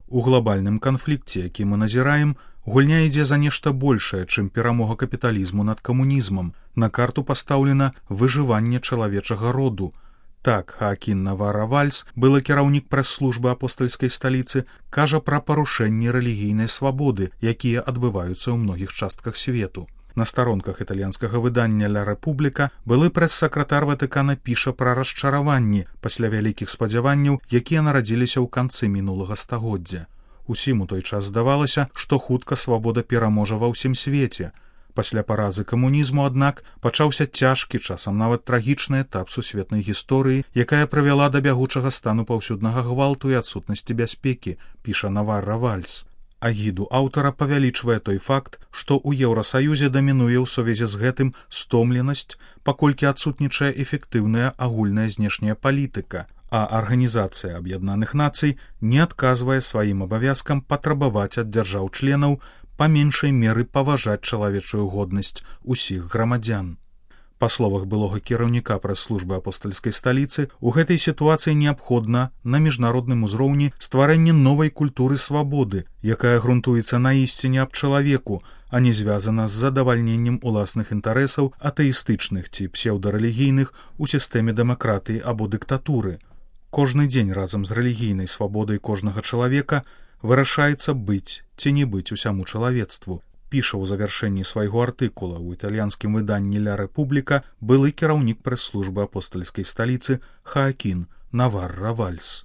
У глобальным канфлікце, які мы назіраем, гульня ідзе за нешта большае, чым перамога капіталізму над камунізмам. На карту пастаўлена выжыванне чалавечага роду. Так, Хаакін Наварра-Вальс, былы кіраўнік прэс-службы апостальскай сталіцы, кажа пра парушэнні рэлігійнай свабоды, якія адбываюцца ў многіх частках свету. На старонках італьянскага выдання «Ля Рэпубліка» былы прэс-сакратар Ватыкана піша пра расчараванні пасля вялікіх спадзяванняў, якія нарадзіліся ў канцы мінулага стагоддзя. Усім у той час здавалася, што хутка свабода пераможа ва ўсім свеце. Пасля паразы камунізму, аднак, пачаўся цяжкі, часам нават трагічны этап сусветнай гісторыі, якая прывяла да бягучага стану паўсюднага гвалту і адсутнасці бяспекі, піша Наварра-Вальс. Агіду аўтара павялічвае той факт, што ў Еўрасаюзе дамінуе ў сувязі з гэтым стомленасць, паколькі адсутнічае эфектыўная агульная знешняя палітыка, а Арганізацыя Аб'яднаных Нацый не адказвае сваім абавязкам патрабаваць ад дзяржаў-членаў па меншай меры паважаць чалавечую годнасць усіх грамадзян. Па словах былога кіраўніка прэс-службы апостальскай сталіцы, у гэтай сітуацыі неабходна на міжнародным узроўні стварэнне новай культуры свабоды, якая грунтуецца на ісціне аб чалавеку, а не звязана з задавальненнем уласных інтарэсаў атэістычных ці псеўдарэлігійных у сістэме дэмакратыі або дыктатуры. Кожны дзень разам з рэлігійнай свабодай кожнага чалавека вырашаецца быць ці не быць усяму чалавецтву, піша ў завяршэнні свайго артыкула ў італьянскім выданні «Ля Рэпубліка» былы кіраўнік прэс-службы апостальскай сталіцы Хаакін Наварра-Вальс.